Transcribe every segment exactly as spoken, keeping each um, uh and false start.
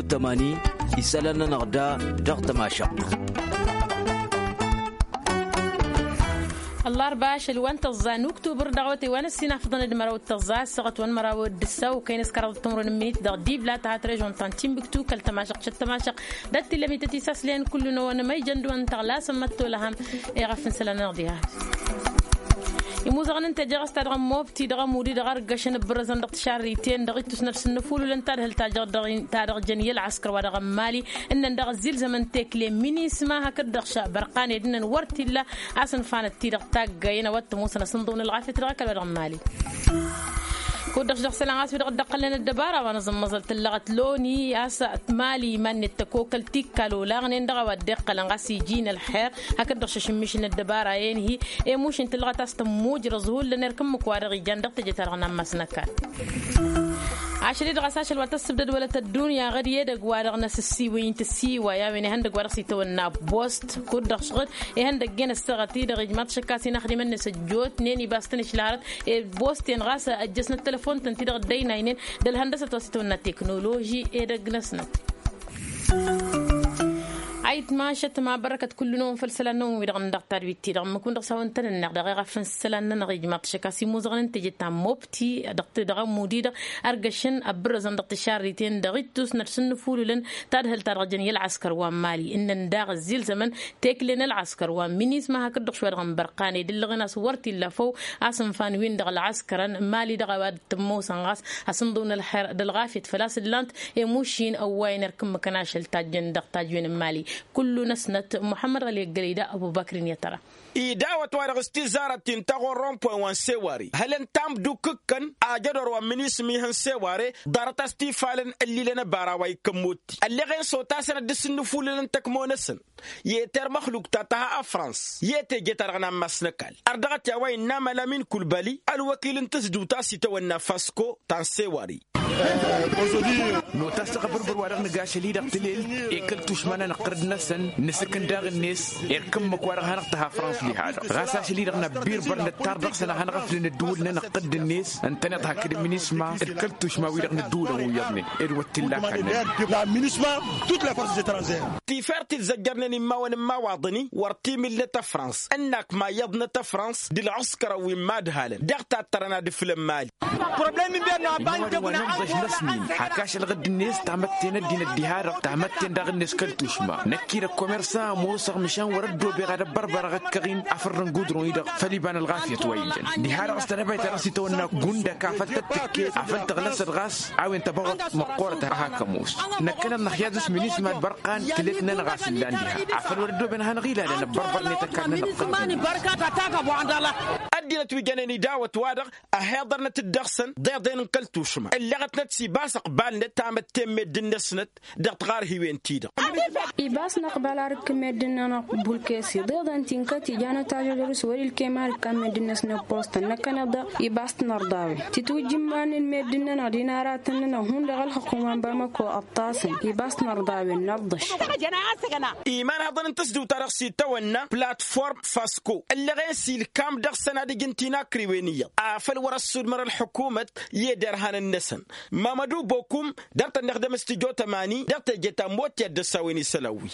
Tămani isălan-nănăɣ da dăɣ-tămašăɣt. Ăllarba ašăl wa n-tăẓẓa n-uktubăr dăɣ-awătay wa n-ăssinafăḍăn d-măraw d-tăẓẓa ăssaɣăt wa n-măraw d-ǝssaw kăy-năskăraḍăt timǝrwen n-imǝnit dăɣ-dibla ta ha trăžon ta n-timbuktu kăl-tămašăɣt šăt tămašăɣt. Dăɣ-tilămit ătisaslen kullu n-awăn măyjăn d-wa n-tăɣlasăn măttolăhăm. Eɣăf n-isălan-nănăɣ diha. Imuzăɣăn n-teje ɣas ta dăɣ-mobti dăɣ-amudi dăɣ-argăšăn ăbbărăzăn dăɣ-tišarriten dăɣ-ittus n-ad-sǝnnăfululăn tadhǝlt ta dăɣ-jăn i-ălɣăskăr wa dăɣ-ămmali ǝnnăn dăɣ-ăzzilzămăn tekle minisma hakd-dăɣ šabărqan ed ǝnnăn wăr t-illa. A-s ǝnfanăt-ti-dăɣ taggayen a-wa t-ămoosăn asǝnḍǝw n-ălɣafyăt dăɣ-ăkall wa dăɣ-ămmali. Kud-dăɣ s-dăɣ-isălan ɣas wi-dăɣ dd-ăqqălnen ăddăbara wa n-aẓǝmmăẓăl tǝllăɣăt loni a-s mali iman-net tăkokăl tikkal olaɣnen dăɣ-a-wa dd-iqqălăn ɣas iji n-ălxer. Hakd-dăɣ šăšǝmmišǝl n-ăddăbara-en-hi emušin tǝllăɣăt a-s tămmujrăẓ hullan erk ǝmmǝk wa dăɣ-ijan dăɣ-teje-ta-dăɣ n-ammas n-ăkall. Ašăl-i-dăɣ a-s ašăl wa tăssǝbdăd wălăt ăddunya ɣăr i-edăgg wa dăɣ-năsǝssiwǝyǝn tǝssiwa i-a-wen ihăndăgg wa dăɣ-s itawănna bost kud-dăɣ šɣǝd ihăndăgg-en ăssaɣăt-i-dăɣ ijmaḍ šăkk a-s inaxdimăn-net ăjjootnen ibas-tăn išlărăt. Ed bost-en ɣas ăjjăsnăt telăfon-tăn-ti-dăɣ dd-ăynaynen d-ălhăndăsăt wa s-itawănna teknoloži edăgg-năsnăt. Ayǝtmašăt ma bărăkăt kullu-năwăn făll-isălan-năwăn wi-dăɣ n-dăɣ-tadwit-ti-dăɣ ǝmmǝk-wăn dăɣ-s a-wen tăn-ǝnneɣ dăɣ-eɣaf n-isălan-nănăɣ ijmaḍ-t šăkk a-s imuzăɣăn n-teje ta n-mobti dăɣ-amudi-dăɣ ărgăšăn ăbbărăzăn dăɣ-tišarriten dăɣ-ittus n-ad-sǝnnǝfululăn tadhǝlt-ta-dăɣ jăn i-ălɣăskăr wa n-mali ǝnnăn daɣ ăzzilzămăn tekle n-ălɣăskăr wa n-minisma hakd-dăɣ šwa dăɣ-n bărqan ed ǝllăɣen a-s wăr t-illa făw. A-s ǝnfan-win-dăɣ ălɣăskărăn n-mali dăɣ-a-wa dd-tămoosăn ɣas asǝnḍǝw n-ălxer d-ălɣafyăt făl-a-s ǝllan-t. Emušin ăwwayăn erk ǝmmǝkăn ašăl tajjăn dăɣ-tajwen n-mali. Kullu-năsnăt muḥămmăd ɣăli ăggălăy da ăbubăkr-in i-ad-tăra. Idawăt-wa-dăɣ s-tizarăt ti n-taɣorro n-pwen wa n-seware hălăn tamdukǝkkăn ajădor wa n-minisma ihăn seware. Ḍarăt a-s tifalăn ǝllilăn ăbara wa ikkăn motti ălleɣen s-otasăn ad-dd-sǝnnǝfulǝlăn tăkmo-năsăn i-termăxluk ta tăha ăfrans i-teje-ta-dăɣ n-ammas n-ăkall. Ărdăɣăt i-a-wa innă amăla min kulbăli ălwăkil n-tǝzdǝwt a-s itawănna fasko ta n-seware. Notas taɣbărbăr wa dăɣ-nǝga ašăl-i-dăɣ tǝlel i-kăl-tušma n-anăqqărăd-năsăn nǝsǝkǝn daɣ-net. Irkǝmmǝk wa dăɣ-hanăɣ-tăha frans diha-dăɣ ɣas ašăl-i-dăɣ n-abbir băr nǝttar dăɣ-săn ad-hanăɣ-ăflǝn ăddǝwǝl n-anăqqăd-net ǝntăneḍ hakd minisma d-kăl-tušma-wi-dăɣ n-ăddǝwǝlăn wi iyyăḍnen. Ed wăr t-illa akall-nănăɣ. La minisma tut la forces etranzere. Tifert-i dd-zăjjărnen immawăn n-imawaḍăn-i wăr t-imilnăt ăfrans ǝnnak ma iyyăḍnăt ăfrans d-ălɣǝskărăn wi n-imadhalăn dăɣ-tattărăn ad-ǝflăn mali. Immawăn wa n-ănḍăš n-asmin hak ašăl ɣǝdd-net tamătte n-ăddinăt diha-dăɣ tamătte n-daɣ-net kăl-tušma năkk-i d-ăkkomersa ămoosăɣ măšan wăr-ăddoobeɣ ad-ăbbărbărăɣ ăkkăɣ-in afăr n-gudron-i-dăɣ făll-iba n-ălɣafyăt wa ijăn. Diha-dăɣ s-tănăbayt ta dăɣ-s itawănna gundăk afăl tăt-tǝkke afăl tăɣlăsăt ɣas a-wen tăbăɣăt măqqoorăt a hak ămoos. Năkkăneḍ năxyaz s-minisma d-bărqan tǝlet-nănăɣ a-s ǝllan diha afăl wăr-ăddooben ad-hanăɣ-ilalăn ăbbărbărnet ăkall-nănăɣ. Ăddinăt wi jănen idawăt-wa-dăɣ ăhiḍărnăt-dd dăɣ-săn ḍeḍen n-kăl-tušma ǝlleɣătnăt s-ibas ăqbal-net tamătte n-meddǝn-năsnăt. Dăɣ-tiɣarhiwen-ti-dăɣ. Ibas năqbal arǝk n-meddǝn-nănăɣ bulkesi ḍeḍen ti n-kăt-ijanăt ažădor s-wăr-ilkem arǝkkan meddǝn-năsnăt postăn năkkăneḍ-dăɣ ibas t-nărḍawen titwǝjjǝmmanen meddǝn-nănăɣ d-inaratăn-nănăɣ hundăɣ ălxukum wa n-bamăko ăṭṭasăn ibas t-nărḍawen n-ălḍăš. Iman haḍăn n-tǝsdǝwt-ta-dăɣ s-itawănna platform fasko ǝllăɣen s-ilkam dăɣ-săn ad-ǝjǝn tinakriwen iyyăḍ afăl wăr-ăssudmăr ălxukumăt i-ederhanăn-năsăn. Mamădu bokum dăr-tăn-năxdăm s-tijot ămani dăɣ-teje ta n-motti ad-dd-ăssawen isălan-wi.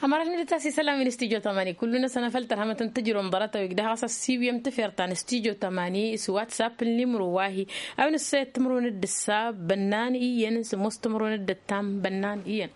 Ămărat n-ad-dd-tas isălan-wi n-tijot ămani kullu-năsăn afăl tărhămăt n-tǝjrǝwăm ḍarăt-a-wi ǝgdăh ɣas ăssiiwǝyăm tǝfert ta n-tijot ămani s-whatsapp n-limru wa-hi. A-wen ǝssăyăt timǝrwen d-ǝssa bănnan iyyăn s-ămoos timǝrwen d-ǝttam bănnan iyyăn.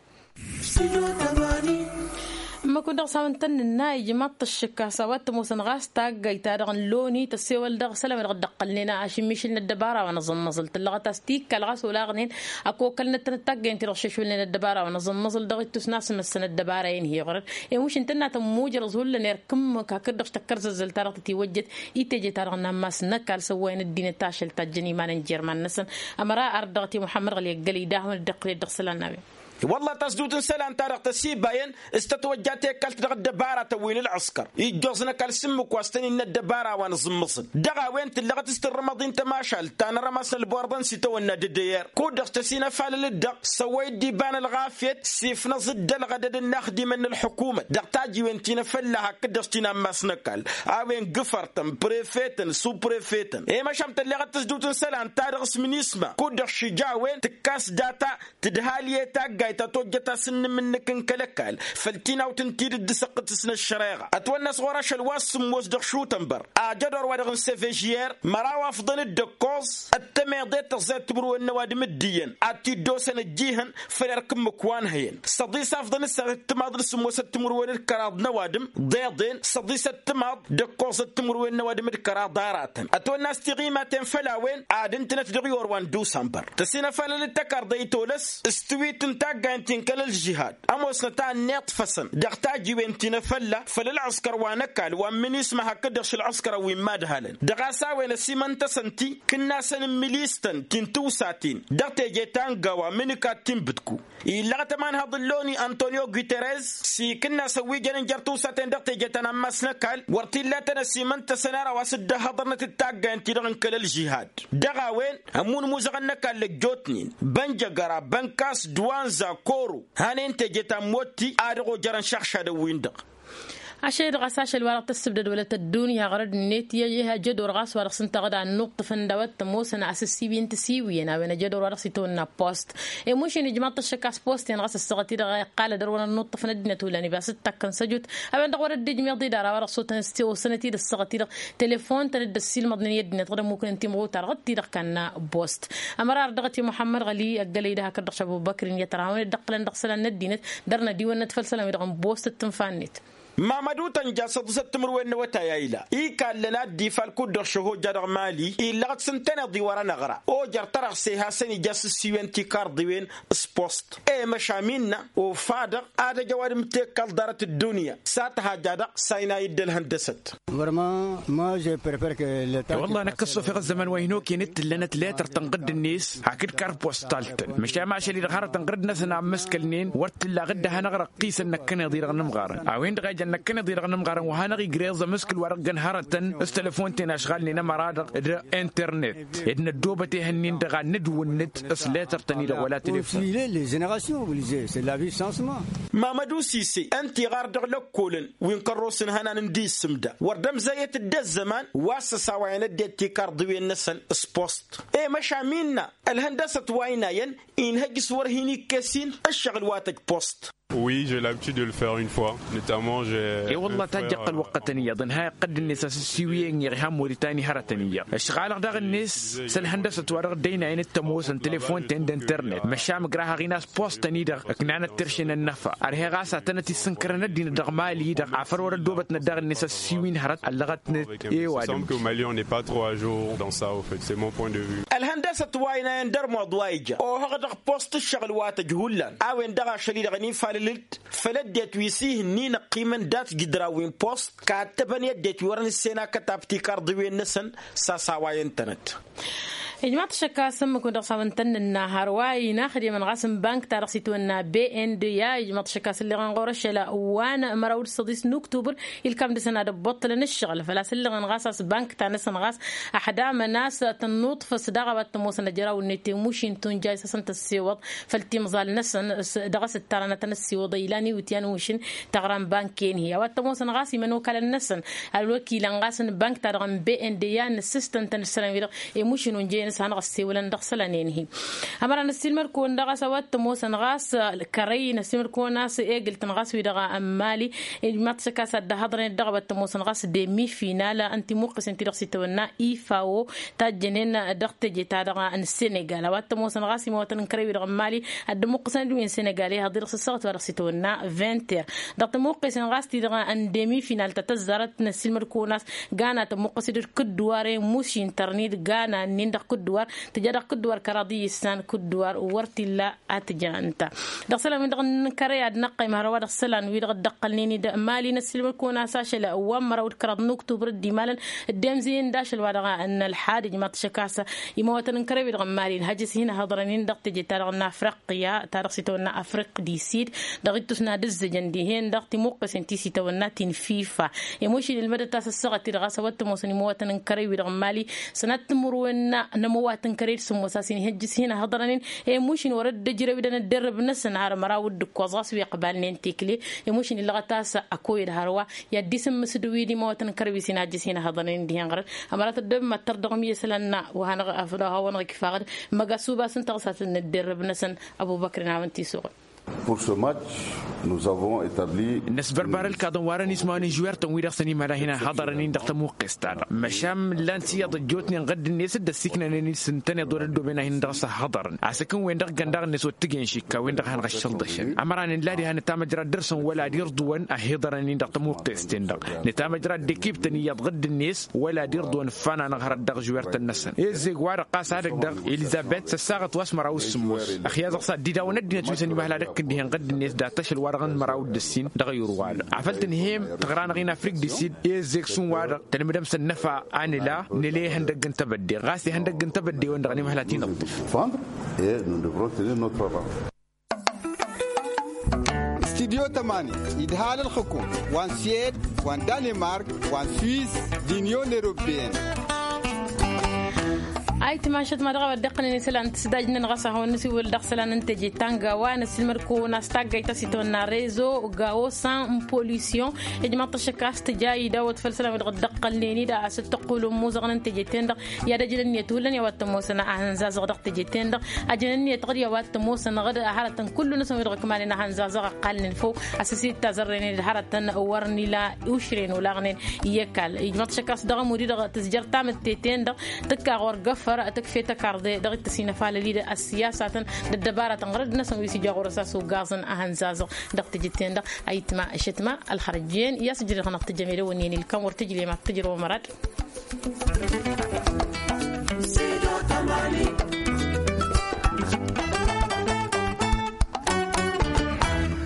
Ǝmmǝk-wǝn dăɣ-s a-wen tăn-nǝnna ijmaḍ-t ăššǝk a-s a-wa t-ămoosăn ɣas taggayt-ta-dăɣ n-loni tăssewăl dăɣ-isălan-wi-dăɣ dd-ăqqălnen ašǝmmišǝl n-ăddăbara wa n-aẓǝmmăẓǝl tǝllăɣăt a-s tikkal ɣas olaɣnen. Ăkokălnăt-tănăt taggayt-ti-dăɣ šešwǝlnen ăddăbara wa n-aẓǝmmăẓǝl dăɣ-ittus n-asmăssăn ăddăbara-en hi-iɣrăd. Emuš ǝntănna tămmujrăẓ hullan erk ǝmmǝk hakd-dăɣ s-tăkkărzăzzăl-ta-dăɣ tătiwăjjăt i-teje-ta-dăɣ n-ammas n-ăkall s-ăwwayăn ăddinăt ašăl tajjăn iman n-jerman-năsăn. Ămăra ard dăɣ-t i-muḥămmăd ɣăli ăggălăy d-ad-hawăn-dd-iqqǝlăd dăɣ-isălan n-a-wen. Wălla tasdut n-isălan-ta-dăɣ tăsibayăn s-tătwăjja tekalt dăɣ-ăddăbaratăn wi n-ǝlɣǝskăr ijjoẓ n-ăkall s-ǝmmǝk wa s-tăn-innă ăddăbara wa n-aẓǝmmăẓǝl. Dăɣ-a-wen tǝllăɣăt s-tǝrrǝmăḍ-in tămašalt ta n-arămas n-ălborḍăn s-itawănna d-dd-eyer kud-dăɣ s-tăsinăfalăl-dd-dăɣ s-ăwwăy-dd iba n-ălɣafyăt s-ifnăẓ-dd ălɣădăd n-inaxdimăn n-ălḥukumăt dăɣ-tajiwen ti n-afălla hakd-dăɣ ti n-ammas n-ăkall. A-wen gǝfărtăn prefetăn suprefetăn i-măšan tălleɣăt tǝzdǝwt n-isălan-ta-dăɣ s-minisma kud-dăɣ šija a-wen tǝkkas data tǝdhal i-tagga. ta tojjăt asǝnnǝm-nǝk n-kăl-ăkall făll-tinawt n-tidǝt d-asăqqǝt s-năššăreɣa ătwănna a-s ɣur-ašăl wa s-sǝmmos dăɣ-šutănbăr. Ajădor wa-dăɣ n-sevejyer măraw afḍăn-dd ăkkoẓ d-tămeḍe tăẓẓay timǝrwen n-ăwadǝm d-iyyăn ad-t-dd-osăn ăjjihăn făll-erk ǝmmǝk wa n-hăyăn s-ăḍis afḍăn ǝssaɣ d-timaḍ d-sǝmmos d-timǝrwen d-kăraḍ n-ăwadǝm ḍeḍen s-ăḍis d-timaḍ d-ǝkkoẓăt timǝrwen n-ăwadǝm d-kăraḍ aratăn ătwănna a-s tiɣimaten făll-a-wen ad-ǝntǝnăt dăɣ-iwor wa n-dusănbăr. Tăsinăfalălăt tăkarḍăy tolăs s-tiwit n-taggayăn ti n-kăl-ălžihad ămoosnăt a ănniḍfăsăn dăɣ-tajiwen ti n-afălla făll-ălɣǝskăr wa n-ăkall wa n-minisma hakd-dăɣ šălɣǝskărăn wi n-imadhalăn dăɣ-a-s a-wen ăsimăntăsăn ti kǝnnasăn n-milistăn ti n-tiwsaten dăɣ-teje ta n-gawa mǝnǝkat ti n-bǝdku. Illăɣăt ămanhăḍ n-loni antonio guterres s-ikǝnnasăn wi jănen jer-tiwsaten dăɣ-teje ta n-ammas n-ăkall wăr t-illa tăn-ăsimăntăsăn ara wa s-dd-ăhhăḍărnăt d-taggayăn-ti-dăɣ n-kăl-ălžihad. Dăɣ-a-wen ămmun imuzăɣăn n-ăkall ăjjootnen bănjăgăra bănkas d-wanza koro hanen teje ta n-motti a dăɣ-ojărăn šăɣšadăn-win-dăɣ. Ašăl-i-dăɣ a-s ašăl wa dăɣ-tăssǝbdăd wălăt ăddunya ɣărăd-net i-ajădor ɣas wa dăɣ-s ǝnta ɣǝd a ănnuṭṭǝfăn d-a-wa t-ămoosăn asǝssiwi n-tisiwiyăn a-wen ajădor wa dăɣ-s itawănna post. Imošin ijmaḍ-t ăššăk a-s post-en ɣas ăssaɣăt-i-dăɣ a iqqal ad-ărwăn ănnuṭṭăfăn ăddinăt hullan ibas d-takkăn săjut a-wen-dăɣ wăr dd-ijmeḍ-i d-ara wa dăɣ-s otăn-s tiwǝsnăt-dd ăssaɣăt-i-dăɣ telefon-tăn dd-ăssiilmăḍnen i-ăddinăt ɣǝd ămmuknen timɣutar ɣǝd-ti-dăɣ kanna post. Ămărar dăɣ-t i-muḥămmăd ɣăli ăggălăy d-hakd-dăɣ šabubăkr-in i-ătrahăwăn dd-ăqqǝlăn dăɣ-isălan n-ăddinăt dăr-nădiwănnăt făll-isălan-wi-dăɣ n-post d-tǝnfa-net. Mamădu tănja s-ăḍǝsăt timǝrwen n-awătay a ila ikallăn ad-dd-ifalkud dăɣ-šăhoja dăɣ-mali illăɣăt s-ǝntăneḍ-i wăr-ănăɣra ojăr tărăɣse hasăn-ija s-ǝssiwen tikarḍiwen s-post. E măšam innă ofa-dăɣ ad-ăj ăwadǝm tekkăl ḍarăt ăddunya s-ad-tăhaja-dăɣ s-a inay dd-ălhăndăsăt. Wălla năkk ăṣṣufeɣ ăzzăman wa hin-okăyăn d-tǝllănăt letăr tănɣǝd-net hakd kart postal-tăn măšan ašăl-i-dăɣ hărătăn ɣǝrǝd-năsăn a ǝmmǝskălnen wăr t-illa ɣǝdda hanăɣ-răqqisăn năkkăneḍ-i-dăɣ n-ǝmɣarăn a-wen-dăɣ a ijăn năkkăneḍ-i-dăɣ n-ǝmɣarăn wa hanăɣ-igreẓ amǝskǝl wa dăɣ-găn hărătăn s-telăfon-ten ašɣalnen ămăra-dăɣ d-internet ed năddoobăt ehăn-in-dăɣ ad-nǝdwǝnnǝt s-letăr-tăn-i-dăɣ wăla telefon. Mamădu sise ǝnta iɣar dăɣ-lăkkolăn wi n-kărrosăn hănan n-dd-issǝmda wăr dd-ămzăyăt dd-ăzzăman wa s-ăsawayăn ăddinăt tikarḍiwen-năsăn s-post. E măšam innă ălhăndăsăt wa ăynayăn inhăj s-wăr hin-ikkesin ǝššăɣǝl wa tăj post. Oui, j'ai l'habitude de le faire une fois notamment. E-wălla tajjăɣ-t ălwăqqătăn iyyăḍ ǝnhayăɣ-t dd-net asǝssiwǝyăn-i-dăɣ ihan moritani hărătăn iyyăḍ ǝšɣalăɣ daɣ-net s-ălhăndăsăt wa dăɣ-dd-ăynayăn d-tămoosăn telefon-ten d-internet măšan ǝgrahaɣ-in a-s post-tăn-i-dăɣ ǝknanăt terše n-ănnăfa ărheɣ a-s ad-tănăt-issǝnkărăn ăddinăt dăɣ-mali-i-dăɣ afăl wăr ăddoobătnăt daɣ-net asǝssiwǝy n-hărăt ăllăɣătnet. I-ăwadǝm. Ălhăndăsăt wa ăynayăn d-ărmuḍ wa ija ohăɣ dăɣ-post ǝššăɣǝl wa tăj hullan a-wen-dăɣ ašăl-i-dăɣ ănifalăl-dd făll-ăddinăt wi s-ihǝnnin ăqqimăn dat-jǝdra wi n-post kattăbăn i-ăddinăt wi wăren ǝssenakăt abti karḍiwen-năsăn. S-asawayăn-tănăt. Ijmaḍ-t šăkk a-s ǝmmǝk-win-dăɣ s-a-wen tăn-nǝnna hărwa inaxdemăn ɣas n-bank-ta-dăɣ s-itwănna bnda ijmaḍ-t šăkk a-s ǝlleɣăn ɣur-ašăl wa n-măraw d-săḍis n-uktubăr ilkam dăɣ-săn ad-ăbboṭṭălăn ǝššăɣǝl făl-a-s ǝlleɣăn ɣas a-s bank-ta-năsăn ɣas ăḥdamăn a-s tănnuṭfăs daɣ a-wa t-ămoosăn ăjraw-net i-mušin tunjay s-asăn tăssewăḍ făll-timẓal-năsăn. Dăɣ-s ǝttarăn ad-tăn-ăssiwăḍ a ilan iwǝtyan ušǝn taɣra n-bank-en-hi a-wa t-ămoosăn ɣas imănokalăn-năsăn ălwăkilăn ɣas n-bank-ta-dăɣ n-bnda a ǝnnǝssǝstăn-tăn ǝssălan-wi-dăɣ i-mušǝn unjăyăn s-hanăɣ-ăssewălăn dăɣ-isălan-en-hi. Ămăra năssiilmăd-kăwăn daɣ a-s a-wa t-ămoosăn ɣas kărăy năssiilmăd-kăwăn a-s egǝl-tăn ɣas wi-dăɣ n-mali ijmaḍ-t šăkk a-s ad-dd-ăhhăḍrănet dăɣ-a-wa t-ămoosăn ɣas demifinal n-timuqqǝsen-ti-dăɣ s-itawănna ifawo tajjănen dăɣ-teje-ta-dăɣ n-senegal a-wa t-ămoosăn ɣas imăwătăn n-kărăy-wi-dăɣ n-mali ad-dd-ămuqqǝsăn d-wi n-senegal i-haḍ-i-dăɣ s-ăssaɣăt wa dăɣ-s itawănna vinter. Dăɣ-tămuqqǝsen ɣas-ti-dăɣ n-demifinal ta tăzzarăt năssiilmăd-kăwăn a-s gana tămuqqǝs-dd kǝdduwar i-mušin tărnid gana-nin dăɣ-kǝdduwar tǝja dăɣ-kǝdduwar kăraḍ i-issan kǝdduwar wăr t-illa. A tǝja ǝnta dăɣ-isălan-wi-dăɣ n-kărăy ad-năqqăym hărwa dăɣ-isălan-wi-dăɣ dd-ăqqălnen-dd mali năssiilmăd-kăwăn a-s ašăl wa n-măraw d-kăraḍ n-uktubăr dd-imalăn dd-emzǝyăn d-ašăl wa dăɣ-nălḥad ijmaḍ-t šăkk a-s imawătăn n-kărăy-wi-dăɣ n-mali ǝnhăjjăs hin-hăḍrănen dăɣ-teje-ta-dăɣ n-afriqya ta dăɣ-s itawănna afriq disid dăɣ-ittus n-ad-ǝzzǝjăn dihen dăɣ-timuqqǝsen ti s-itawănna ti n-fifa. Emušin ǝlmădăt a-s ăssaɣăt-i-dăɣ a-s a-wa t-ămoosăn imawătăn n-kărăy-wi-dăɣ n-mali sănat timǝrwen n-ămăwat n-kărăy d-sǝmmos a-s inhăjjǝs hin-ăhhăḍrănen. Emušin wăr-dd-ǝjrăw-dd ănăddărrăb-năsăn har măraw d-ǝkkoẓ ɣas wi ăqbalnen tekle emušin illăɣăt a-s ăkoyăd hărwa i-ad-dd-isǝmmǝsǝd wi d-imawătăn n-kărăy wi s-inhăjjǝs hin-ăhhăḍrănen dihen ɣărăt. Ămăra tăddăbmăttăr dăɣ-mi isălan wa hanăɣ-afăl a-wa hanăɣ-ikfa ɣǝd măgasuba s-ǝnta ɣas a tăn-năddărrăb-năsăn. Ăbubăkr inawăn tisuɣǝl. Pour ce match, nous avons établi. Năsbărbar ǝlkaḍăn wa dăɣ-nismawăn n-žuwertăn wi-dăɣ săn imăla hin-ăhhăḍărăn-in dăɣ-tămuqqest-ta-dăɣ măšan mǝllan s-iyyăḍ ăjjootnen ɣǝdd-net dd-ăssiiknănen s-ǝntăneḍ wăr-ăddooben ad-hin-dăɣ-s ăhhăḍărăn. Asǝkǝn-wen-dăɣ găn daɣ-net wăr t-ǝjen šikka-wen-dăɣ a hanăɣ-ăššălḍăšăn ămăra nǝlla diha nǝtamăjrad dăr-săn wăla ad-irḍǝwăn ăhiḍărăn-in dăɣ-tămuqqest-ten-dăɣ. Nǝtamăjrad dekiptăn iyyăḍ ɣǝdd-net wăla ad-irḍǝwăn ǝffan anăɣhărăt dăɣ-žuwertăn-năsăn. Ezzeg-wa-dăɣ ɣas ad-ăgg-dăɣ elizăbet s-ăssaɣăt wa s-măraw s-sǝmmos. Ăxyaẓăɣ s-ad-dd-idawăn ăddinăt wi săn-imăhăl ad-ăkk n-dihen ɣǝdd-net dat-ašăl-wa-dăɣ n-măraw d-ǝssin dăɣ-ayǝr-wa-dăɣ. Afăl tǝnhǝyăm tăɣra-năɣ-in afrik d-isid i-ǝzzeg šund-wa-dăɣ tălmǝdăm s-ănnăfa a nǝla nǝla ihăndăgg n-tebădde ɣas ihăndăgg n-tebădde-wăn-dăɣ ănimăhăl ad-t-inăḍḍǝf. Studyo tămani idhal ǝlxǝkum wa n-siyed wa n-danimark wa n-swis d-inyon eropeyăn. Ayǝtma šătma dăɣ-a-wa dd-iqqălăn isălan n-tǝsdajnen ɣas ad-hawăn-nǝsiwǝl dăɣ-isălan n-teje ta n-gawa năssiilmăd-kăwăn a-s taggayt ta s-itwănna rezo gawo san n-polisyon. Ijmăḍ-t ăššăk a-s tǝja idawăt făll-isălan wi-dăɣ dd-ăqqălnen-dd a-s t-ăqqulǝmmuzăɣăn n-teje-ten-dăɣ i-ad-ăjǝn ǝnniyăt hullan i-a-wa t-ămoosăn ahănzazăɣ dăɣ-teje-ten-dăɣ. Ăjǝn ǝnniyăt ɣǝd i-a-wa t-ămoosăn ɣǝd hărătăn kullu-năsăn wi-dăɣ ǝkmalăn ahănzazăɣ ăqqalnen făw. A-s ăsidtazărrăynen d-hărătăn wăr n-ila ušren olaɣnen i-ăkall ijmăḍ-t šăkk a-s dăɣ-ămudd-i-dăɣ tǝzjăr tamǝtte-ten-dăɣ tǝkka ɣur-găffăr tǝkf'-e tăkarḍe dăɣ-ittas inăfalăl-i d-ăssiyasatăn d-ăddăbaratăn ɣǝrǝd-năsăn wi s-ija ɣur-s a-s ugaẓăn ahănzazăɣ. Dăɣ-tijǝt-ten-dăɣ ayǝtma šătma ălxărăjjen i-a-s ǝjrăd-năɣ tǝjjăm edăwănni-en ilkăm wăr tǝjlem ad-tǝjrăwăm ărad.